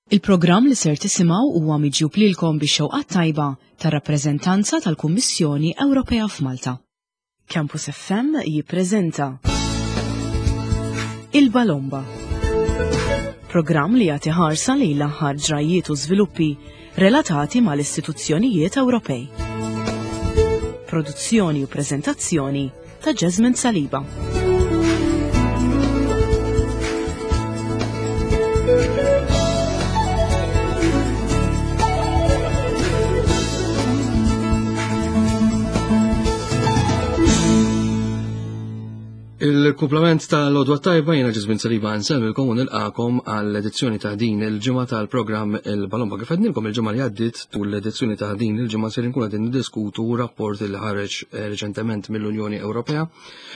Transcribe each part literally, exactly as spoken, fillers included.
Il-programm li ser tisimgħu huwa miġjub lilkom bix-xewqat tajba tar-rappreżentanza tal-Kummissjoni Ewropea f'Malta. Campus F M jippreżenta Il-Balomba. Programm li jagħti ħarsa lejn l-aħħar ġrajiet u żviluppi relatati mal-istituzzjonijiet Ewropej. Produzzjoni u preżentazzjoni ta' Jasmine Saliba. Il-kumplament tal-Odwa Tajba, jiena Ġizmin Saliba nsellmilkom u nilqakom għall-edizzjoni ta' din il-ġimgħa tal-programm Il-Balomba. Kif għednilkom il-ġimgħa li għaddiet, tul l-edizzjoni ta' din il-ġimgħa ser nkun qegħdin niddiskutu rapport li ħareġ eh, reċentement mill-Unjoni Ewropea,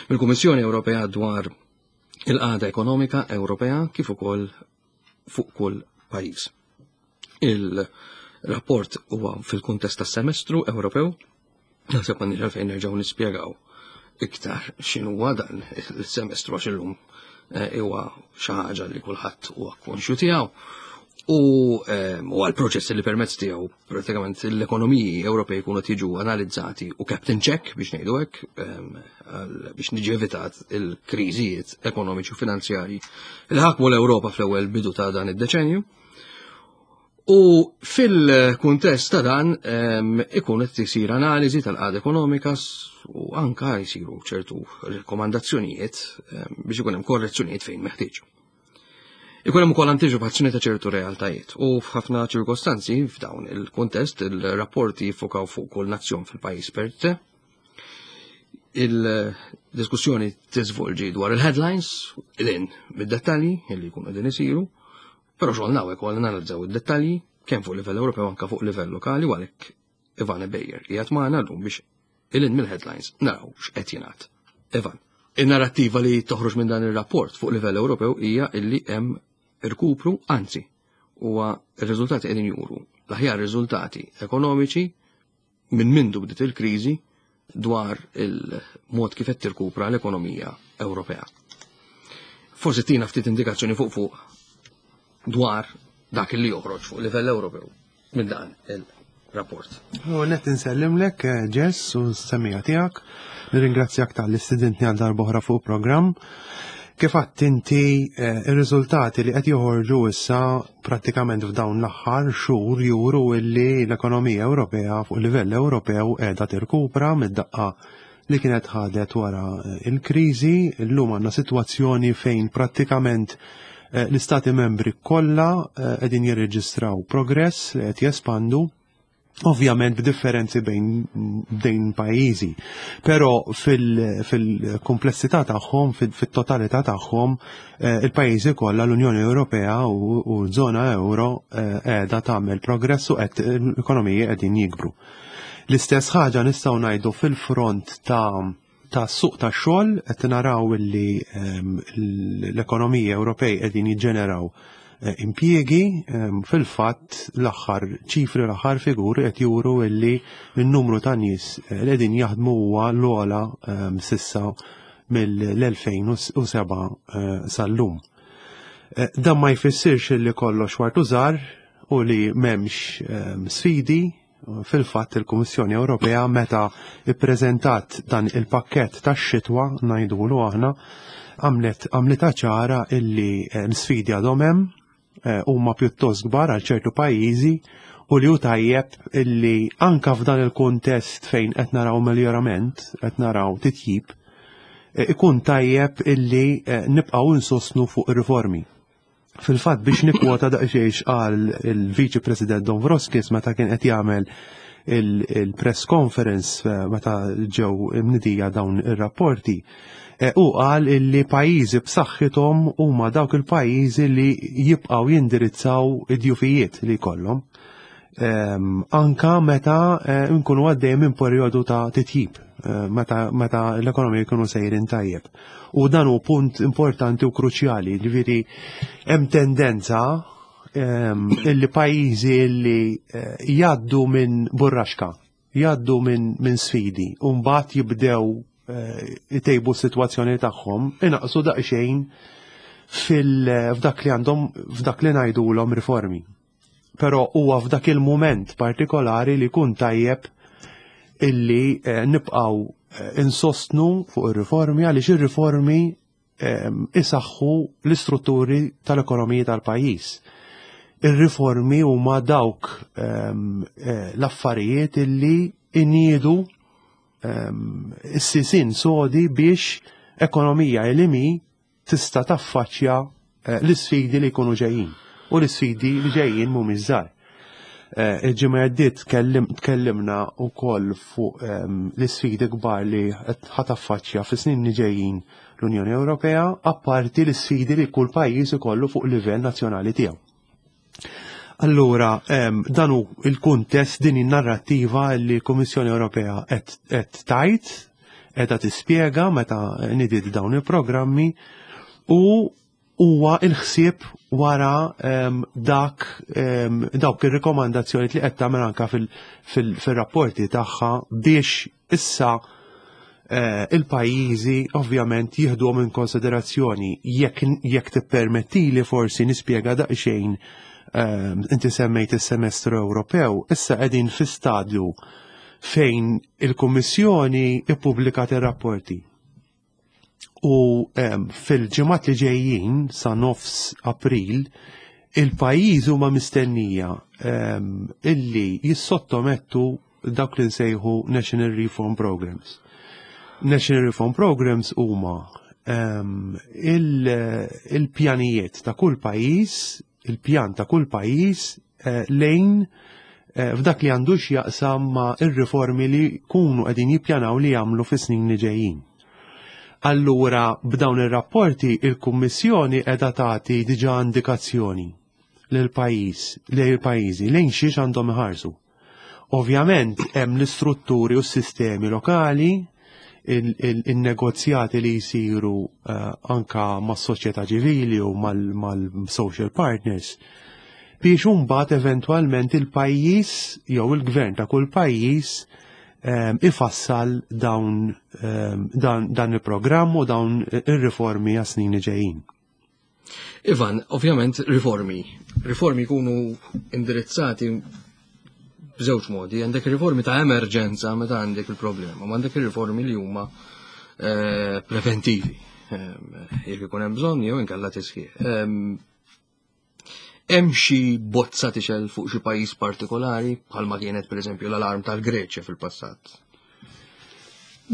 mill-Kummissjoni Ewropea, dwar il-qagħda ekonomika Ewropea kif ukoll fuq kull pajjiż. Il-rapport huwa fil-kuntest tas-semestru Ewropew, naħseb m'għandniex għalfejn nerġgħu nispjegaw iktar x'inhuwa dan il-semestru għax illum eh, huwa xi ħaġa li kulħadd huwa konxju tiegħu u eh, huwa l-proċess li permezz tiegħu pratikament l-ekonomiji Ewropej jkunu tiġu analizzati u kept in check, biex ngħidu hekk, eh, biex niġi evitat il-kriżijiet ekonomiċi u finanzjarji li ħakmu l-Ewropa fl-ewwel bidu ta' dan id-deċenju. U fil-kuntest ta' dan ikun qed isir analiżi tal-qagħda ekonomika u anka jsiru ċertu rekomandazzjonijiet biex ikun hemm korrezzjonijiet fejn meħtieġ. Ikun hemm ukoll antiċipazzjoni ta' ċertu realtajiet u f'ħafna ċirkostanzi f'dawn il-kuntest il-rapporti jiffokaw fuq kull nazzjon fil-pajjiż per se. Il-diskussjoni tiżvolġi dwar il-headlines, il-in mid-dettalji li jkunu qegħdin isiru, però xogħolna hawnhekk ukoll nanalizzaw id-dettalji kemm fuq livell Ewropew anke fuq livell lokali, u għalhekk Ivane Bejjer qiegħed magħna llum biex il mill-headlines naraw x'qed jingħad. Ivan, in-narrattiva li toħroġ minn dan ir-rapport fuq livell Ewropew hija illi hemm irkupru, anzi, huwa r-riżultati qegħdin juru l-aħjar riżultati ekonomiċi minn mindu bdiet il-kriżi dwar il-mod kif qed tirkupra l-ekonomija Ewropea. Forsi tina ftit indikazzjoni fuq fuq dwar dak li joħroġ fuq livell Ewropew minn dan il-rapport. U net insellimlek, eh, Jess, u s-semmiegħa tiegħek. Nirringrazzjak talli stidintni għal darb'oħra fuq programm. Kif għedt inti, eh, ir-riżultati li qed joħorġu issa prattikament f'dawn l-aħħar xhur juru illi l-ekonomija Ewropea fuq livell Ewropew qiegħda tirkupra mid-daqqa li kienet ħadet wara eh, il-kriżi. Illum għandna sitwazzjoni fejn prattikament eh, l-istati membri kollha qegħdin jirreġistraw progress li qed jespandu, ovvjament b'differenzi bejn bejn pajjiżi, però fil-komplessità tagħhom, fit-totalità tagħhom, eh, il-pajjiżi kollha, l-Unjoni Ewropea u żona euro eh, qiegħda tagħmel progress u qed l-ekonomiji qegħdin jikbru. L-istess ħaġa nistgħu ngħidu fil-front ta' ta' suq ta' xogħol. Qed naraw li ehm, l-ekonomiji Ewropej qegħdin jiġġeneraw eh, impjiegi. ehm, fil-fatt l-aħħar ċifri, l-aħħar figuri qed juru illi n-numru ta' nies eh, li qegħdin jaħdmu huwa l-ogħla ehm, sissa mill-elfejn u sebgħa eh, sal-lum. Dan ma jfissirx li kollox ward u żahar u li m'hemmx ehm, sfidi. Fil-fatt il-Kummissjoni Ewropea, meta ippreżentat dan il-pakkett tax-xitwa ngħidulu aħna, għamlet għamlitha ċara illi l-sfidi għadhom hemm, eh, huma pjuttost kbar għal ċertu pajjiżi u li hu tajjeb illi anka f'dan il-kuntest fejn qed naraw miljorament, qed naraw titjib, eh, ikun tajjeb illi eh, nibqgħu insostnu fuq ir-riformi. Fil-fatt, biex nikwota daqsxejn qal il-Viċi President Dombrovskis meta kien qed jagħmel il-press conference meta ġew imnidija dawn ir-rapporti, u qal illi pajjiżi b'saħħithom huma dawk il-pajjiżi li jibqgħu jindirizzaw id-djufijiet li jkollhom. Anka meta nkunu għaddej minn perjodu ta' titjib, meta, meta l-ekonomija jkunu sejrin tajjeb. U dan hu punt importanti u kruċjali, ġifieri hemm tendenza illi pajjiżi illi jgħaddu minn burraxka, jgħaddu minn min sfidi, u mbagħad jibdew itejbu s-sitwazzjoni tagħhom, inaqsu daqsxejn f'dak li għandhom, f'dak li ngħidulhom riformi. Però huwa f'dak il-mument partikolari li jkun tajjeb illi eh, nibqgħu eh, insostnu fuq ir-riformi, għaliex ir-riformi ehm, isaħħu l-istrutturi tal-ekonomija tal-pajjiż. Ir-riformi huma dawk ehm, eh, l-affarijiet illi iniedu ehm, is-sisin sodi biex ekonomija li mi tista' taffaċċja eh, l-isfidi li jkunu ġejjin. U l-isfidi li ġejjin mhumiex żgħar. Eh, Il-ġimgħa għaddiet tkellim- tkellimna wkoll fuq ehm, l-isfidi kbar li ħa taffaċċja fis-snin li ġejjin l-Unjoni Ewropea, apparti l-isfidi li kull pajjiż ikollu fuq livell nazzjonali tiegħu. Allura, em, dan hu il-kuntest, din in-narrattiva li l-Kummissjoni Ewropea qed qed tajt, qiegħda tispjega meta nidiet dawn il-programmi u huwa il-ħsieb wara em, dak em, dawk ir-rikomandazzjoni li qed tagħmel anka fil-rapporti tagħha biex issa eh, il-pajjiżi ovvjament jieħduhom in konsiderazzjoni. jekk jekk tippermettili forsi nispjega daqsxejn, ehm, inti semmejt is-semestru Ewropew, issa qegħdin fi stadju fejn il-Kummissjoni ippubblikat ir-rapporti. U em, fil-ġimgħat li ġejjin sa nofs April, il-pajjiż huma mistennija em, illi jissottomettu dawk li nsejħu National Reform Programs. National Reform Programs huma em, il- il-pjanijiet ta' kull pajjiż, il-pjan ta' kull pajjiż eh, lejn eh, f'dak li għandu x'jaqsam ma' ir-riformi li kunu qegħdin jippjanaw li jagħmlu fis-snin li ġejjin. Allura, b'dawn ir-rapporti il-Kummissjoni qiegħda tagħti diġà indikazzjoni lil pajjiż, lejn il-pajjiżi lejn xiex għandhom iħarsu. Ovvjament hemm l-istrutturi u s-sistemi lokali, il-negozjati li jisiru eh, anka mas-soċjetà ċivili u mal-social partners biex imbagħad eventwalment il-pajjiż jew il-gvern ta' kull pajjiż ehm, ifassal dawn ehm, dan, dan il-programm u dawn ir-riformi għas-snin li ġejjin. Ivan, ovvjament riformi. Riformi jkunu indirizzati b'żewġ modi. Għandek riformi ta' emerġenza meta għandek il-problema, ma għandek ir-riformi li huma eh, preventivi. Eh, Jekk ikun hemm bżonn jew inkella tisħiħ. Ehm, Hemm xi bozza tixgħel fuq xi pajjiż partikolari, bħalma kienet pereżempju l-alarm tal-Greċja fil-passat?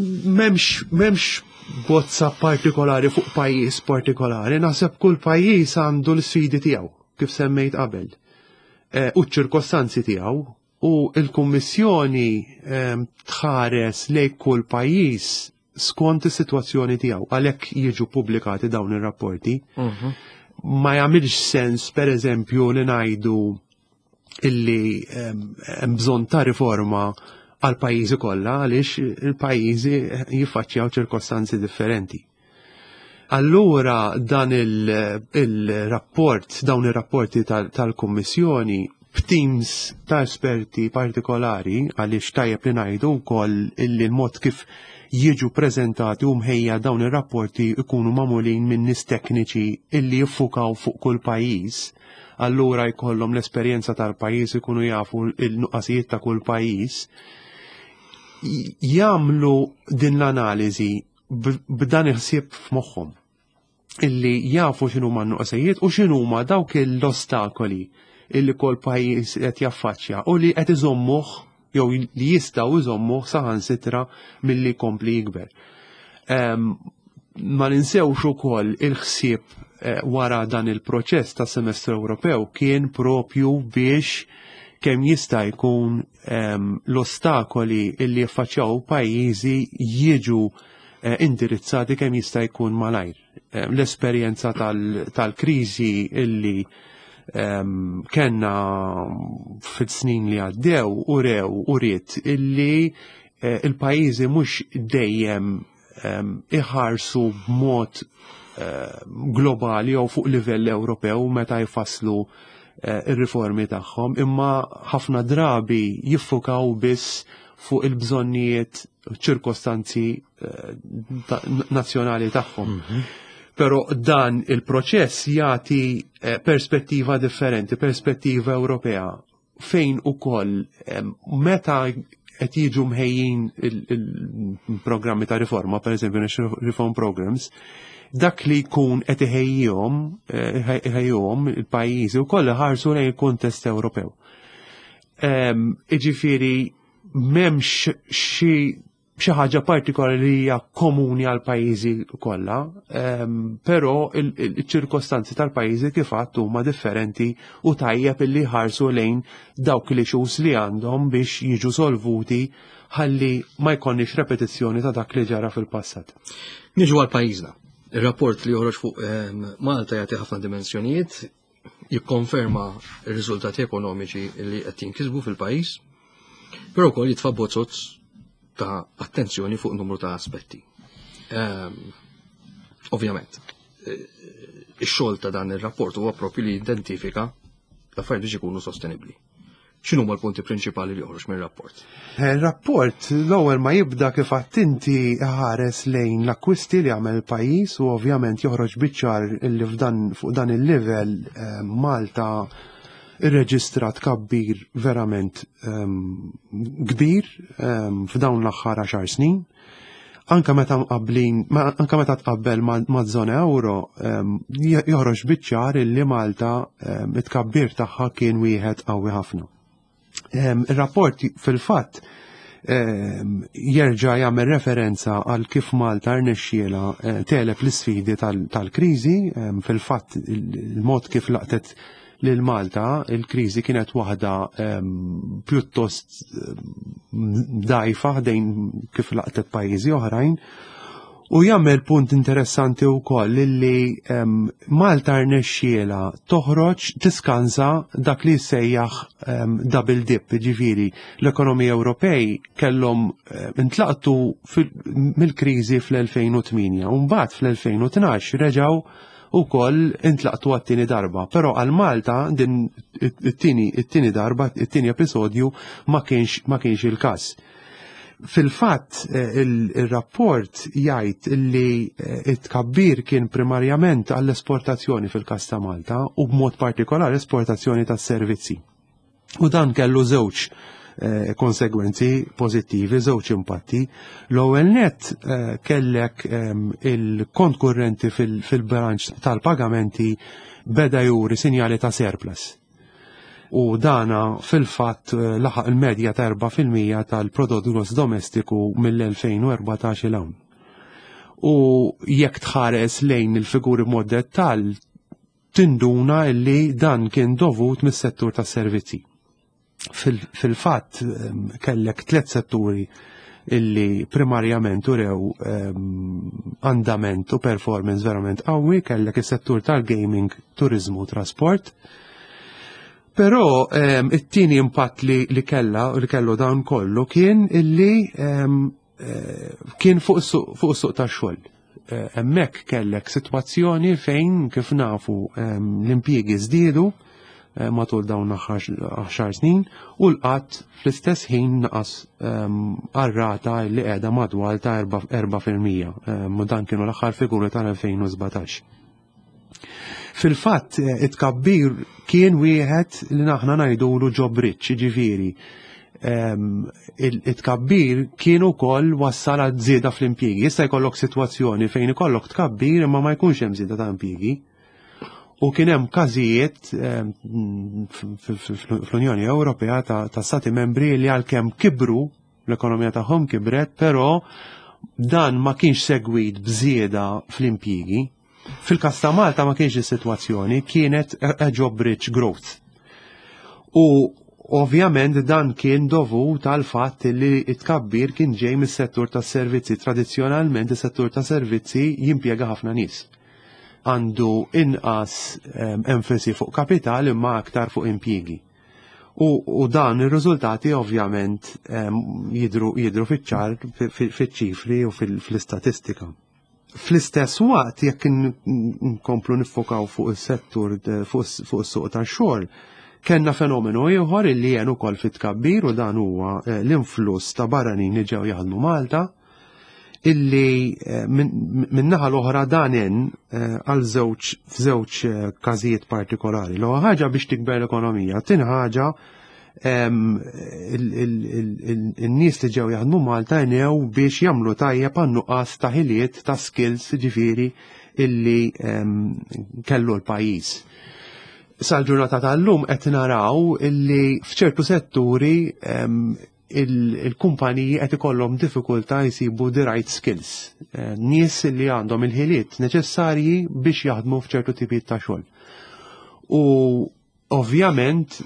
M'hemmx, m'hemmx bozza partikolari fuq pajjiż partikolari, naħseb kull pajjiż għandu l-sfidi tiegħu, kif semmejt qabel. Eh, u ċ-ċirkostanzi tiegħu, u l-Kummissjoni ehm, tħares lejn kull pajjiż skont is-sitwazzjoni tiegħu, għalhekk jiġu pubblikati dawn ir-rapporti. Ma jagħmilx sens, per eżempju, li ngħidu illi ehm, hemm bżonn ta' riforma għal pajjiżi kollha, għaliex il-pajjiżi jiffaċċjaw ċirkostanzi differenti. Allura dan il-rapport, dawn ir-rapporti tal-Kummissjoni b'teams ta' esperti partikolari, għaliex tajjeb li ngħidu wkoll illi l-mod kif jiġu prezentati u mħejja dawn ir-rapporti ikunu magħmulin minn nies tekniċi illi jiffukaw fuq kull pajjiż. Allura jkollhom l-esperjenza tal-pajjiż, ikunu jafu il-nuqqasijiet ta' kull pajjiż. Jagħmlu din l-analiżi b'dan il-ħsieb f'moħħhom, illi jafu x'inhuma n-nuqqasijiet u x'inhuma dawk l-ostakoli illi kull pajjiż qed jaffaċċja u li qed iżommuh jew li jistgħu iżommuh saħansitra milli jkompli jikber. Ma ninsewx ukoll il-ħsieb eh, wara dan il-proċess ta' semestru Ewropew kien propju biex kemm jista' jkun l-ostakoli illi jaffaċċjaw pajjiżi jiġu eh, indirizzati kemm jista' jkun malajr. L-esperjenza tal-kriżi illi kellna fil-snin li għaddew u rew u riet illi eh, il-pajjiżi mhux dejjem iħarsu b'mod globali jew fuq livell Ewropew meta jfasslu eh, ir-riformi tagħhom, imma ħafna drabi jiffukaw biss fuq il-bżonnijiet, ċirkostanzi eh, nazzjonali tagħhom. Mhm. Però dan il-proċess jagħti eh, perspettiva differenti, perspettiva Ewropea, fejn ukoll meta qed jiġu mħejjin il-programmi ta' riforma, per eżempju Reform Programs, dak li jkun qed iħejjihom eh, iħejjihom il-pajjiżi wkoll iħarsu lejn il-kuntest Ewropew. Iġifieri m'hemmx xi xi ħaġa partikolari li hija komuni għal pajjiżi kollha, però il-ċirkostanzi tal-pajjiżi kif għadt huma differenti u tajjeb illi ħarsu lejn dawk li xus li għandhom biex jiġu solvuti ħalli ma jkollniex repetizzjoni ta' dak li ġara fil-passat. Niġu għal pajjiżna. Ir-rapport li joħroġ fuq Malta jagħti ħafna dimensjonijiet, jikkonferma r-riżultati ekonomiċi li qed jinkisbu fil-pajjiż, però wkoll jitfa' bozzot ta' attenzjoni fuq numru ta' aspetti. Um, ovvjament, eh, ix-xogħol ta' dan ir-rapport huwa propju li jidentifika l-affarijiet biex ikunu sostenibbli. X'inhu l-punti prinċipali li joħroġ mir-rapport? Il-rapport eh, l-ewwel ma jibda kif inti ħares lejn l-akkwisti li għamel il-pajjiż u ovvjament joħroġ biċ-ċar li f'dan fuq dan il-livell eh, Malta irreġistra tkabbir verament um, kbir um, f'dawn l-aħħar għaxar snin. Anka meta mqabblin, anka meta tqabbel ma' żona euro, um, joħroġ biċ-ċar illi Malta um, it-tkabbir tagħha kien wieħed qawwi ħafna. Um, Ir-rapport fil-fatt um, jerġa' jagħmel referenza għal kif Malta rnexxiela eh, tegħleb l-isfidi tal-kriżi, um, fil-fatt il-mod kif laqtet lil Malta il-kriżi kienet waħda um, pjuttost dgħajfa ħdejn kif laqtet pajjiżi oħrajn. U jagħmel punt interessanti wkoll illi um, Malta rnexxiela toħroġ tiskansa dak li jsejjaħ um, double dip, ġifieri l-ekonomija Ewropej kellhom um, intlaqtu mill-kriżi fl-elfejn u tmienja u mbagħad fl-elfejn u tnax reġgħu ukoll intlaqtu għat-tieni darba. Però għal Malta din it-tieni it-tieni darba, it-tieni episodju ma kienx ma kienx il-każ. Fil-fatt il-rapport jgħid li it-tkabbir kien primarjament għall-esportazzjoni fil-każ ta' Malta u b'mod partikolari esportazzjoni tas-servizzi. U dan kellu żewġ konsegwenzi pożittivi, żewġ impatti. L-ewwel net kellek il-kont kurrenti fil-bilanċ tal-pagamenti beda juri sinjali ta' surplus. U dana fil-fatt laħaq il-medja ta' erba' fil-mija tal-prodott gross domestiku mill-elfejn u erbatax il hawn. U jekk tħares lejn il-figuri b'mod dettall, tinduna illi dan kien dovut mis-settur tas-servizzi. Fil-fatt kellek tliet setturi illi primarjament urew andament u performance verament qawwi, kellek is-settur tal-gaming, turizmu, trasport. Però it-tieni impatt li, li kella li kellu dan kollu kien illi kien fuq is-suq tax-xogħol. Hemmhekk kellek sitwazzjoni fejn kif nafu l-impjiegi żdiedu matul dawn għaxar snin u l-qatt fl-istess ħin naqas għar-rata li qiegħda madwar ta' erba' fil-mija. Dan kienu l-aħħar figuri tal-elfejn u sbatax. Fil-fatt it-tkabbir kien wieħed li naħna ngħidulu job rich, jiġifieri it-tkabbir kien ukoll wassal għal żieda fl-impjiegi. Jista' jkollok sitwazzjoni fejn ikollok tkabbir imma ma jkunx hemm żieda ta' impjiegi. U kien hemm każijiet fl-Unjoni Ewropea ta' stati membri li għalkemm kibru, l-ekonomija tagħhom kibret, però dan ma kienx segwit b'żieda fl-impjiegi. Fil-każ ta' Malta ma kienx is-sitwazzjoni, kienet a job rich growth. U ovvjament dan kien dovut għal fatt li t-tkabbir kien ġej mis-settur tas-servizzi. Tradizzjonalment is-settur tas-servizzi jimpjega ħafna nies. Għandu inqas enfasi fuq kapital imma aktar fuq impjiegi. U, u dan ir-riżultati ovvjament jidru, jidru fiċ-ċar, fiċ-ċifri u fl-istatistika. Fl-istess waqt, jekk nkomplu nifokaw fuq is-settur, fuq is-suq tax-xogħol, kellna fenomenu ieħor illi jien ukoll fit-tkabbir u dan huwa l-influss ta' barranin li ġew jaħdmu Malta, Illi eh, min-naħa l-oħra danen eh, għal żewġ f'żewġ eh, każijiet partikolari. L ħaġa biex tikber l-ekonomija, tieni ħaġa in-nies li ġew jaħdmu Malta għenew biex jagħmlu tajjeb għan-nuqqas ta' ħiliet, ta' skills, ġifieri, illi kellu l-pajjiż. Sal-ġurnata tal-lum qed naraw illi f'ċertu setturi il-kumpaniji qed ikollhom diffikultà jsibu the right skills. Eh, nies li għandhom il-ħiliet neċessarji biex jaħdmu f'ċertu tipijiet ta' xogħol. U ovvjament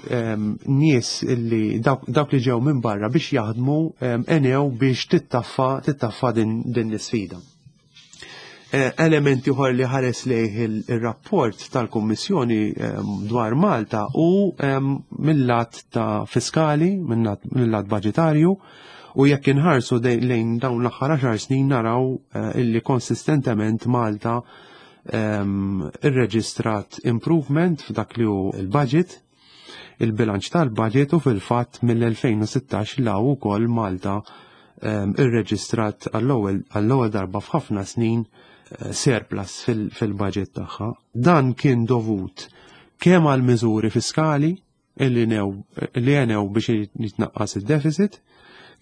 nies li dawk li ġew minn barra biex jaħdmu għenew biex tittaffa tittaffa din, din l-isfida. Eh, elementi oħor li ħares lejh il-rapport tal-Kummissjoni dwar Malta u mill-lat ta' fiskali, mill-lat budgetarju, u jekk inħarsu lejn dawn l-aħħar għaxar snin naraw eh, illi konsistentement Malta irreġistrat improvement f'dak li hu il-budget, il-bilanċ tal-budget, u fil-fatt mill-elfejn u sittax 'l hawn ukoll Malta irreġistrat għall-ewwel darba f'ħafna snin eh, surplus fil-budget tagħha. Dan kien dovut kemm għal miżuri fiskali illi li għenew biex jitnaqqas il-deficit,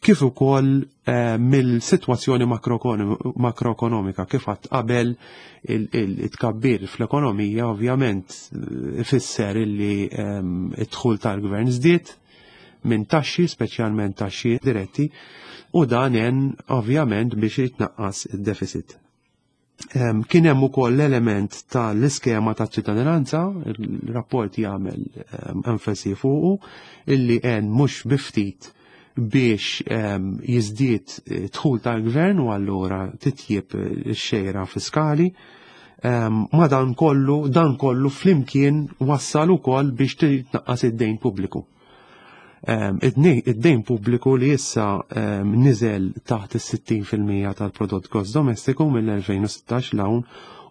kif ukoll eh, mill-sitwazzjoni makroekonomika. Kif għedt qabel, il-tkabbir fl-ekonomija ovvjament eh, ifisser illi id-dħul tal-gvern żdied minn taxxi, speċjalment taxxi diretti, u dan għen ovvjament biex jitnaqqas id-deficit. Kien hemm ukoll l-element tal-iskema ta' ċittadinanza, il-rapport jagħmel enfasi fuqu, illi għen mhux bi ftit biex jiżdied dħul tal-gvern u allura titjib x-xejra fiskali. Ma dan kollu, dan kollu flimkien wassal ukoll biex titnaqqas id-dejn pubbliku. Id-dejn pubbliku li issa niżel taħt is-sittin fil-mija tal-prodott gross domestiku mill-elfejn u sittax 'l hawn,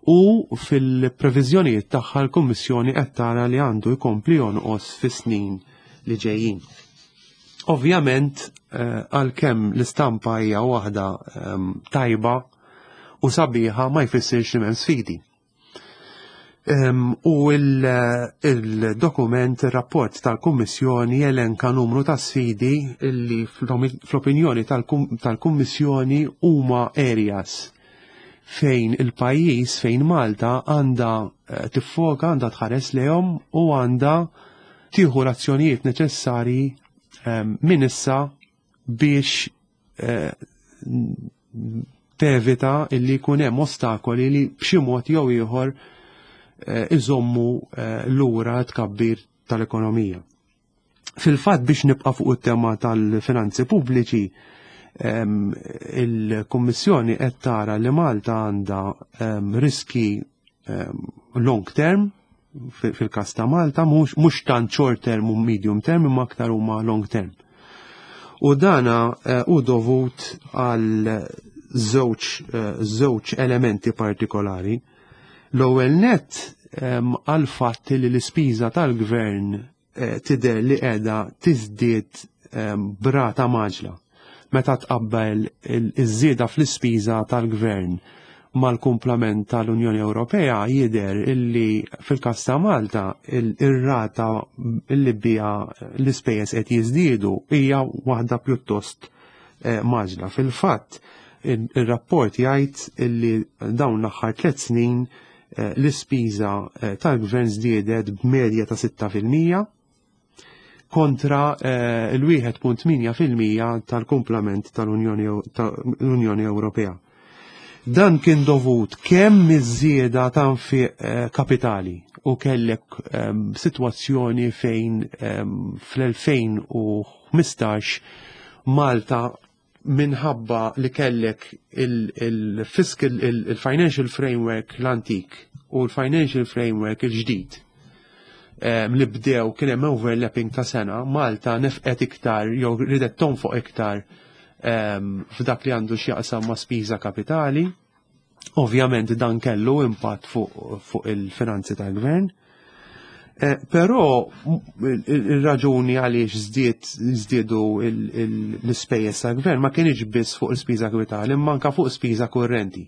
u fil-previżjonijiet tagħha l-Kummissjoni qed tara li għandu jkompli jonqos fis-snin li ġejjin. Ovvjament, eh, għalkemm l-istampa hija waħda tajba u sabiħa, ma jfissirx li m'hemm sfidi. U il-dokument, il-rapport tal-Kummissjoni jelenka numru ta' sfidi illi fl-opinjoni tal-Kummissjoni huma areas fejn il-pajjiż, fejn Malta għandha eh, tiffoka, għandha tħares lejhom u għandha tieħu l-azzjonijiet neċessarji minn issa biex eh, tevita illi jkun hemm ostakoli li b'xi mod jew ieħor eh, iżommu eh, lura tkabbir tal-ekonomija. Fil-fatt, biex nibqa' fuq it-tema tal-finanzi pubbliċi, il-Kummissjoni qed tara li Malta għandha riski long term. Fil-każ ta' Malta mhux tant short term u medium term, imma aktar huma long term. U dana eh, u dovut għal żewġ eh, żewġ elementi partikolari. L-ewwel net, għal fatt li l-ispiża tal-gvern eh, tidher li qiegħda tiżdied b'rata mgħaġġla. Meta tqabbel iż-żieda fl-ispiża tal-gvern mal-kumplament tal-Unjoni Ewropea, jidher illi fil-każ ta' Malta ir-rata illi bija l-ispejjeż qed jiżdiedu hija waħda pjuttost eh, mgħaġġla. Fil-fatt, il-rapport jgħid illi dawn l-aħħar tliet snin eh, l-ispiża eh, tal-gvern żdiedet b'medja ta' sitta fil-mija kontra il-wieħed punt tmienja fil-mija tal-kumplament tal-Unjoni Ewropea. Dan kien dovut kemm iż-żieda ta' nfiq eh, kapitali u kellek um, situazzjoni fejn um, fl-elfejn u ħmistax Malta, minħabba li kellek il-fiscal, il-financial framework l-antik u l-financial framework il-ġdid um, li bdew, kien hemm overlapping ta' sena, Malta nefqet iktar jew ridet tonfoq iktar um, f'dak li għandu x'jaqsam ma' spiża kapitali. Ovvjament dan kellu impatt fuq fu il-finanzi tal-gvern. Eh, però il-raġuni għaliex żdied żdiedu l-ispejjeż tal-gvern ma kienx biss fuq il-spiża kapitali, imma anke fuq spiża kurrenti.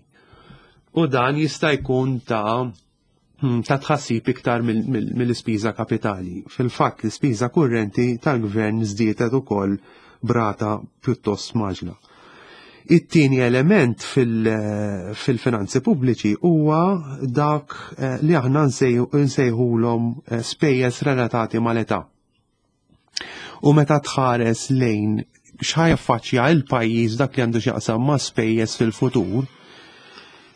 U dan jista' jkun ta' hmm, ta' tħassib iktar mill-ispiża kapitali. Fil-fatt l-ispiża kurrenti tal-gvern żdiedet ukoll b'rata pjuttost mgħaġġla. It-tieni element fil-finanzi pubbliċi huwa dak eh, li aħna nsejħulhom eh, spejjeż relatati mal-età. U meta tħares lejn x'ħa jaffaċċja il-pajjiż dak li għandu x'jaqsam ma' spejjeż fil-futur,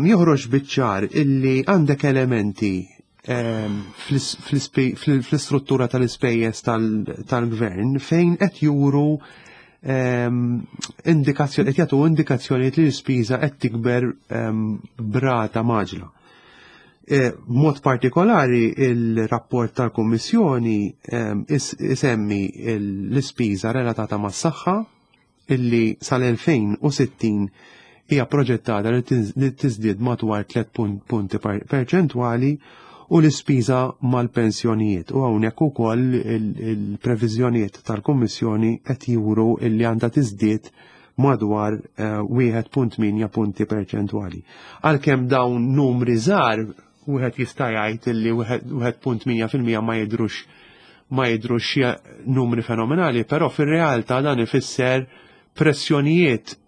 joħroġ biċ-ċar illi għandek elementi ehm, fl-istruttura tal-ispejjeż tal-gvern fejn qed juru Ehm, indikazzjoni qed jagħtu indikazzjonijiet li l-ispiża qed tikber ehm, b'rata mgħaġġla. E, b'mod partikolari il-rapport tal-Kummissjoni ehm, isemmi l-ispiża relatata mas-saħħa illi sal-elfejn u sittin hija proġettata li tiżdied madwar tliet punti perċentwali u l-ispiża mal-pensjonijiet. U hawnhekk ukoll il-previżjonijiet tal-Kummissjoni qed juru illi għandha tiżdied madwar eh, wieħed punt tmienja punti perċentwali. Għalkemm dawn numri żgħar, wieħed jista' jgħid illi wieħed punt tmienja fil-mija ma jidhrux ma jidhrux numri fenomenali, però fir-realtà dan ifisser pressjonijiet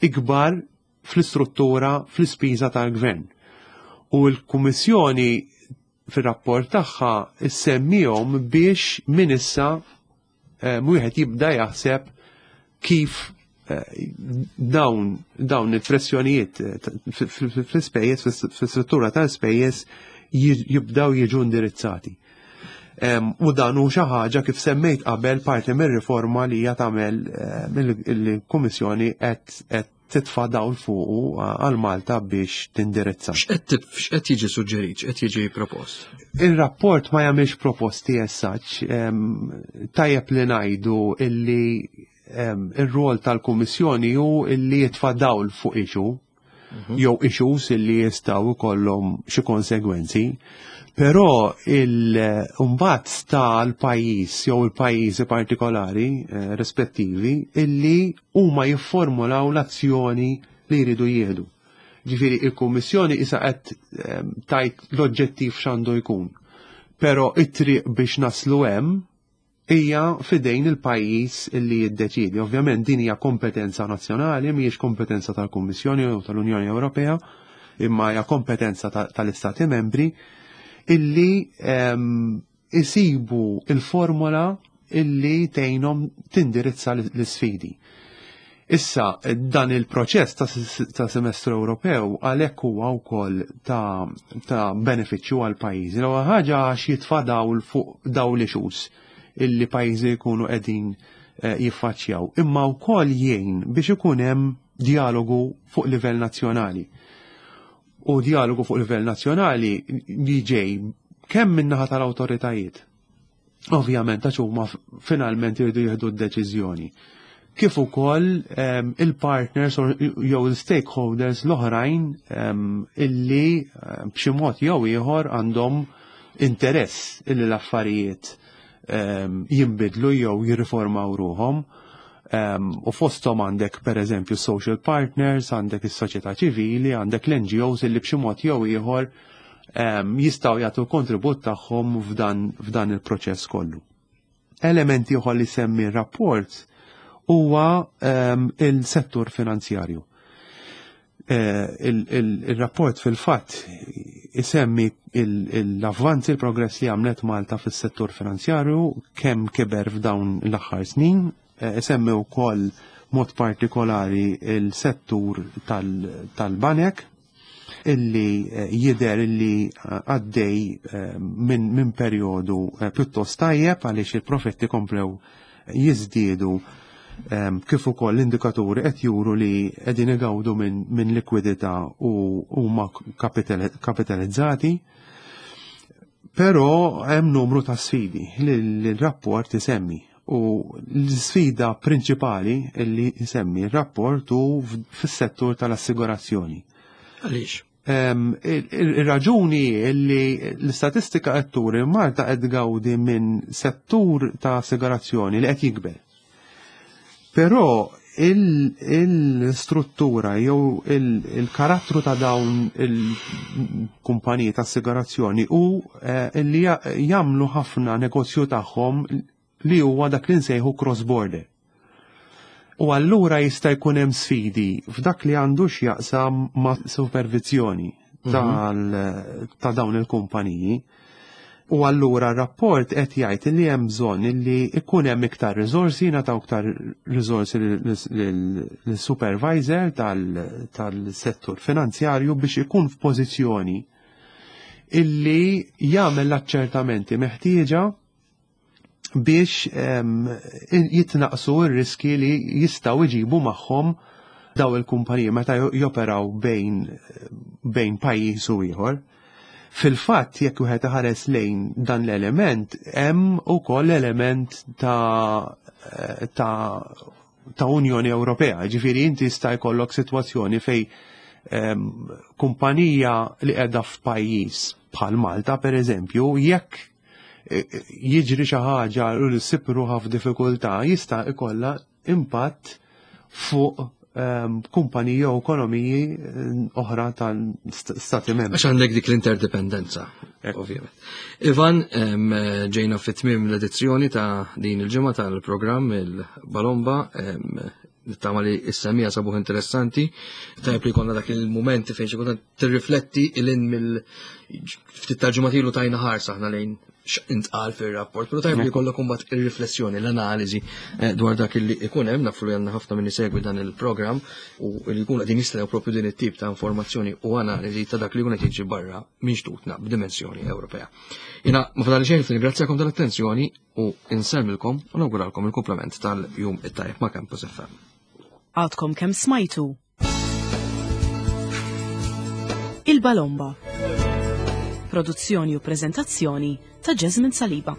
ikbar fl-istruttura, fl-ispiża tal-gvern. U l-Kummissjoni fir-rapport tagħha issemmihom biex minn issa, eh, wieħed jibda jaħseb kif, eh, dawn, dawn il-pressjonijiet, eh, fl-ispejjeż, fl-istruttura tal-ispejjeż jibdaw jiġu indirizzati. Em, u dan hu xi ħaġa kif semmejt qabel parti mir-riforma li hija tagħmel, eh, il-Kummissjoni qed qed titfa' dawl fuqu għal Malta biex tindirizza. X'qed x'qed jiġi suġġerit, x'qed jiġi propost? Ir-rapport ma jagħmilx proposti essaċ. Tajjeb li ngħidu illi, em, ir-rol tal-Kummissjoni hu illi jitfa' dawl fuq issue, Mhm. jew issues illi jistgħu jkollhom xi konsegwenzi. Però il-mbagħad sta l-pajjiż jew il-pajjiżi partikolari, eh, rispettivi illi huma jifformulaw l-azzjoni li jridu jieħdu. Ġifieri il-Kummissjoni issa qed, eh, tajt l-oġġettiv x'għandu jkun. Però it-triq biex naslu hemm hija fidejn il-pajjiż illi jiddeċidi. Ovvjament din hija kompetenza nazzjonali, mhijiex kompetenza tal-Kummissjoni u tal-Unjoni Ewropea, imma hija kompetenza ta-, tal-Istati Membri illi, ehm, isibu il-formula illi tgħinhom tindirizza l-isfidi. Issa, dan il-proċess ta' s-, ta' semestru Ewropew għalhekk huwa wkoll ta', ta' benefiċċju għal pajjiżi. L-ewwel ħaġa għax jitfa' dawl fuq dawl l-issues illi pajjiżi jkunu qegħdin, eh, jiffaċċjaw, imma wkoll jgħin biex ikun hemm dialogu fuq livell nazzjonali. U dialogu fuq livell nazzjonali li ġej kemm min-naħa tal-awtoritajiet. Ovvjament għax huma finalment jridu jieħdu d-deċiżjoni. Kif ukoll, ehm, il-partners jew il-stakeholders l-oħrajn, ehm, illi, ehm, b'xi mod jew ieħor għandhom interess illi l-affarijiet, ehm, jinbidlu jew jirriformaw ruhom. Ehm, u fosthom għandek per eżempju social partners, għandek is-soċjetà ċivili, għandek l-N G Os illi b'xi mod jew ieħor, ehm, jistgħu jagħtu kontribut tagħhom f'dan, f'dan il-proċess kollu. Elementi ieħor li semmi r-rapport huwa, ehm, il-settur finanzjarju. Eh, il-, il-, il-rapport fil-fatt isemmi il-, il-avvanzi, il-progress li għamlet Malta fis-settur finanzjarju, kemm kiber f'dawn l-aħħar snin, eh, isemmi wkoll mod partikolari il-settur tal-, tal-banek, illi, eh, jider illi, eh, għaddej, eh, minn, minn perjodu, eh, pjuttost tajjeb għaliex il-profetti komplew jiżdiedu, ehm, kif ukoll l-indikaturi qed juru li qegħdin igawdu minn, minn likwidità u huma kapital-, kapitalizzati. Però hemm numru ta' sfidi li l-rapport isemmi. U l-sfida prinċipali li isemmi r-rapport hu fis-settur tal-assigurazzjoni. Għaliex? Ir-raġuni li l-istatistika qed turi Malta qed tgawdi minn settur ta' assigurazzjoni li qed jikber. Però il-struttura jew il-karattru ta' dawn il-kumpaniji ta' assigurazzjoni u li jagħmlu ħafna negozju tagħhom li huwa dak li nsejħu cross-border. U allura jista' jkun hemm sfidi f'dak li għandu x'jaqsam ma' supervizjoni ta' dawn il-kumpaniji. U allura r-rapport qed jgħid li hemm bżonn li jkun hemm iktar riżorsi, nagħtaw iktar riżorsi lis-supervisor tal-settur finanzjarju biex ikun f'pożizzjoni illi jagħmel l-aċċertamenti meħtieġa biex jitnaqsu r-riski li jistgħu jġibu magħhom daw il-kumpaniji meta joperaw bejn bejn pajjiż u ieħor. Fil-fatt, jekk wieħed iħares lejn dan l-element, hemm ukoll element ta' ta' ta' Unjoni Ewropea. Ġifieri inti jista' jkollok sitwazzjoni fej kumpanija li qiegħda f'pajjiż bħal Malta pereżempju, jekk jiġri xi ħaġa u li ssib ruħha f'diffikultà, jista' jkollha impatt fuq kumpaniji u ekonomiji oħra tal-Stati membri. Għax għandek dik l-interdependenza, ovvjament. Ivan, ġejna fit-tmiem l-edizzjoni ta' din il-ġimgħa tal-programm il-Balomba, nittama li s-semija sabuħ interessanti, tajb li konna dak il-momenti fejn xi kultant tirrifletti il-in mill ftit tal-ġimgħa tajna ħarsa aħna lejn intqal fir-rapport, però tajb li jkollok imbagħad ir-riflessjoni, l-analiżi dwar dak li ikun hemm, nafu li għandna ħafna min isegwi dan il-programm u li jkunu qegħdin jistennew propju din it-tip ta' informazzjoni u analiżi ta' dak li jkun qed jiġi barra minn xtutna b'dimensjoni Ewropea. Jiena ma fadali xejn nirringrazzjakom tal-attenzjoni u insellmilkom u nawguralkom il-komplement tal-jum it-tajjeb ma' Campus F M. Għadkom kemm smajtu Il-Balomba. Produzzjoni u prezentazzjoni ta' Jasmine Saliba.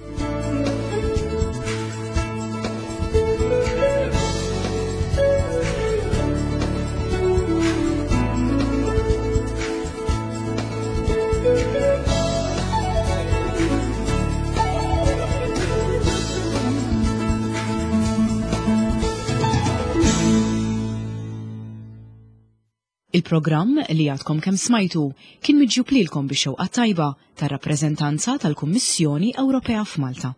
Il-programm li għadkom kemm smajtu kien miġjub lilkom bix-xewqa tajba tar-rappreżentanza tal-Kummissjoni Ewropea f'Malta.